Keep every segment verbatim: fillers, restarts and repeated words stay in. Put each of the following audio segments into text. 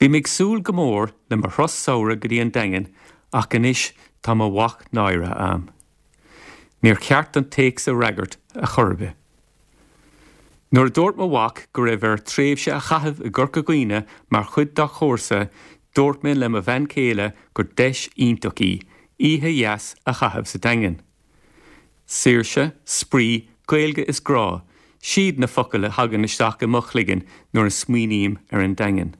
Bhí mé ag súil go mór le mo thuras samhraidh go dtí an Daingean ach anois tá mo mhac náirithe agam. Níor cheart an téacs a fhreagairt ar chor ar bith. Nuair a dúirt mo mhac go raibh air tréimhse a chaitheamh i gCorca Dhuibhne mar chuid dá chúrsa, dúirt mé le mo bhean chéile gur deis iontach í, oíche dheas a chaitheamh sa Daingean. Saoirse, spraoi, Gaeilge is grá, siad na focail a thagann isteach i mo chloigeann nuair a smaoiním ar an Daingean.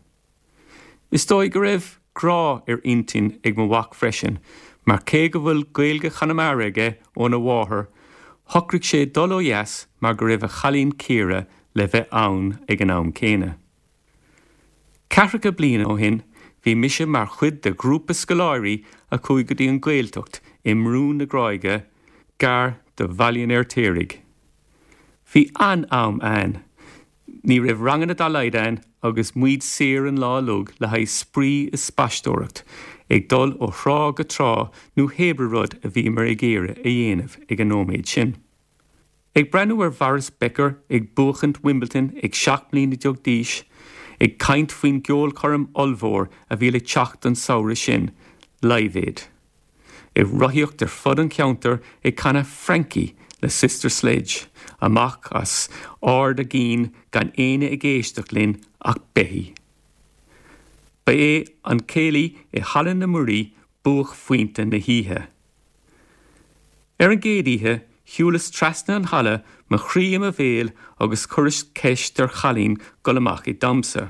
Is dóigh go raibh grá ar intinn ag mo mhac freisin, mar cé go bhfuil Gaeilge Chonamara aige óna mháthair, shocraigh sé dul ó dheas mar go raibh a chailín Ciara le bheith ann ag an am céanna. Ceathracha bliain ó shin, bhí mise mar chuid de ghrúpa scoláirí a chuaigh go dtí an Ghaeltacht i mBrú na Gráige gar do Bhaile an Fheirtéaraigh. Bhí an-am againn, ní raibh ranganna dá laghad ann agus muid saor an lá uilig le haghaidh spraoi is spaisteoireacht, ag dul ó thrá go trá nó pé rud a bhíomar ag iarraidh a dhéanamh ag an nóiméad sin. Ag breathnú ar Boris Becker ag buachaint Wimbledon ag seacht mbliana déag d'aois, ag caint faoin gceolchoirm ollmhór a bhí le teacht an samhradh sin, Live Aid. Ag rothaíocht ar fud an cheantair ag canadh Frankie le Sister Sledge, amach as ard ár gcinn gan éinne ag éisteacht linn ach beithígh. Ba é an céilí i Halla na Muirí buaicphointe na hoíche. Ar an gcéad oíche, shiúlas trasna an halla mo chroí i mo bhéal agus chuireas ceist ar chailín dul amach ag damhsa.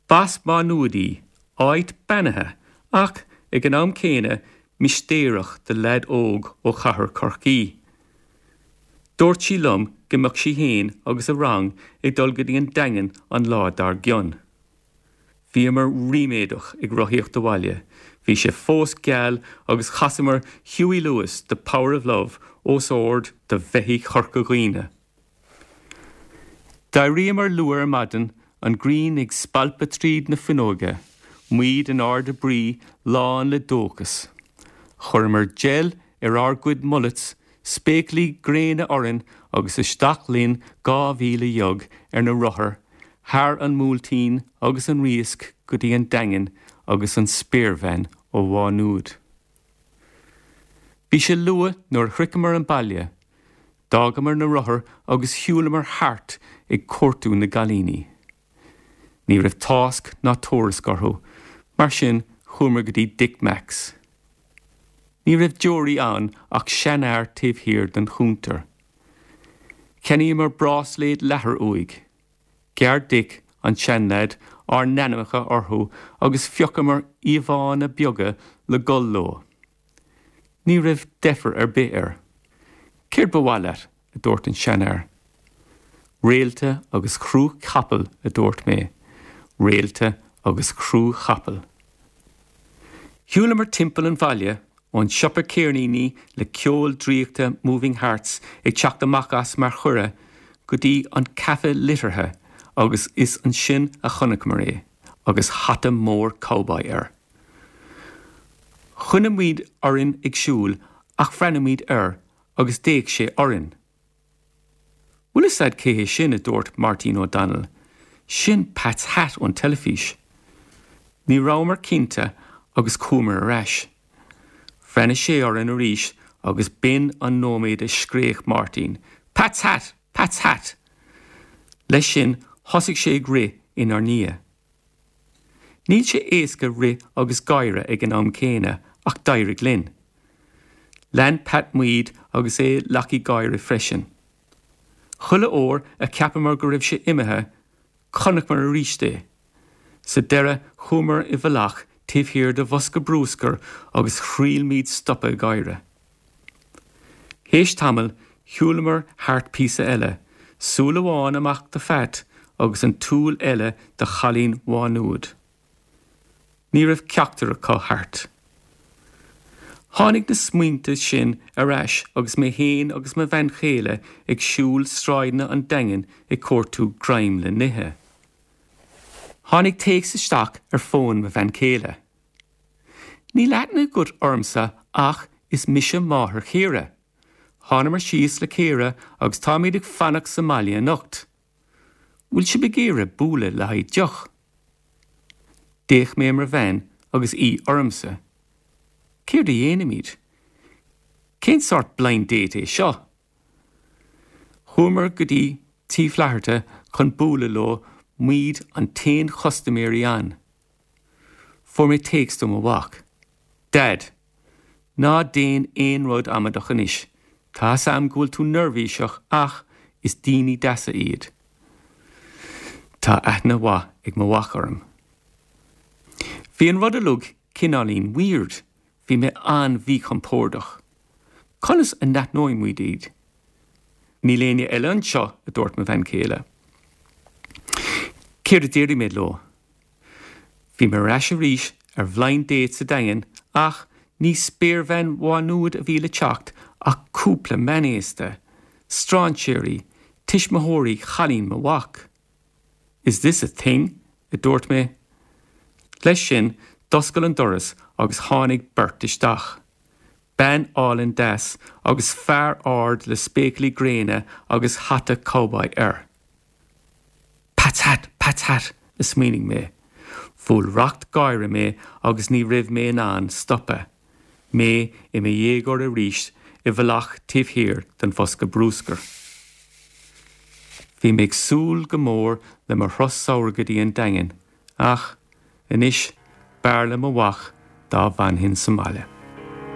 B'as Má Nuad í, áit beannaithe, ach ag an am céanna mistéireach do leaid óg ó chathair Chorcaí. Dúirt sí liom go mbeadh sí féin agus a rang ag dul go dtí an Daingean an lá dár gcionn. Bhíomar ríméadach ag rothaíocht abhaile, bhí sé fós geal agus chasamar Huey Lewis The Power of Love os ard do bheithígh Chorca Dhuibhne. D'éiríomar luath ar maidin an ghrian ag spalpadh tríd na fuinneoga, muid in airde brí lán le dóchas. Chuireamar gel ar ár gcuid mullets, spéaclaí gréine orainn agus isteach linn dhá mhíle dhéag ar na rothair, thar an mBuailtín agus an Riasc go dtí an Daingean agus an spéirbhean ó Mhá Nuad. Bhí sé luath nuair a shroicheamar an baile, d'fhágamar na rothair agus shiúlamar thart ag cuartú na gcailíní. Ní raibh tásc ná tuairisc orthu, mar sin chuamar go dtí Dick Mack's. Ní raibh deoraí ann ach seanfhear taobh thiar den chuntar. Cheannaíomar bráisléad leathair uaidh. Ghearr Dick an seanleaid ár n-ainmneacha orthu agus phiocamar íomhánna beaga le gol leo. Ní raibh deifir ar bith air. Céard ba mhaith leat, a dúirt an seanfhear. Réalta agus crú capall a dúirt mé, réalta agus crú chapall. Shiúlamar timpeall an bhaile ón siopa ceirníní le ceol draíochta Moving Hearts ag teacht amach as mar chuireadh go dtí an caife liteartha agus is ansin a chonaiceamar é, agus hata mór cowboy air. Choinnigh muid orainn ag siúl ach bhreathnaigh muid air agus d'fhéach sé orainn. Bhfuil a fhios agat cé hé sin a dúirt Martin O'Donnell, sin Pat's hat ón teilifís. Ní rabhamar cinnte agus chuamar ar ais. Bhreathnaigh sé orainn arís agus b'in an nóiméad a scréach Martin, Pat's hat, Pat's hat! Leis sin thosaigh sé ag rith inár ndiaidh. Níl sé éasca rith agus gáire ag an am céanna ach d'éirigh linn. Lean Pat muid agus é leacaí gáire freisin. Chuile uair a cheapamar go raibh sé imithe, chonaiceamar arís é. Sa deireadh chuamar i bhfolach taobh thiar de bhosca bruscair agus chraol muid stopadh gáire. Théis tamaill shiúlamar thart píosa eile, súil amháin amach do Phat agus an tsúil eile do chailín Mhá Nuad. Ní raibh ceachtar acu thart. Tháinig na smaointe sin ar ais agus mé féin agus mo bhean chéile ag siúl sráideanna an Daingin ag cuartú greim le n-ithe. Tháinig téacs isteach ar fón mo bhean chéile. Níl aithne agat ormsa ach is mise máthair Chiara. Thángamar síos le Ciara agus táimid ag fanacht sa mbaile anocht. Bhfuil sibh ag iarraidh bualadh le haghaidh deoch. D'fhéach mé ar mo bhean agus í ormsa. Céard a dhéanfaimid? Cén sórt blind date é seo? Chuamar go dtí Tí Flatharta chun bualadh leo muid an t-aon chustaiméirí ann. Fuair mé téacs ó mo mhac. Dad, ná déan aon rud amaideach anois, Tá am go bhfuil tú neirbhíseach ach is daoine deasa iad. Tá aithne mhaith ag mo mhac orm. Bhí an rud uilig cineáilín weird, bhí mé an-mhíchompordach. Conas a n-aithneoidh muid iad. Níl éinne eile anseo a dúirt mo bhean chéile. Céard a déarfaidh mé leo. Bhí mé ar ais arís ar blind date sa Daingean ach ní spéirbhean Mhá Nuad a bhí le teacht ach cúpla meánaosta, strainséirí, tuismitheoirí chailín mo mhac. Is this a thing? a dúirt mé. Leis sin d'oscail an doras agus tháinig beirt isteach. Bean álainn deas agus fear ard le spéaclaí gréine agus hata cowboy air. Pat's hat, Pat's hat, a smaoinigh mé. Bhuail racht gáire mé agus ní raibh mé in ann stopadh. Mé i mo dhéagóir arís i bhfolach taobh thiar den bhosca bruscair. Bhí mé ag súil go mór le mo thuras samhraidh go dtí an Daingean, ach anois b'fhearr le mo mhac dá bhfanfainn sa mbaile.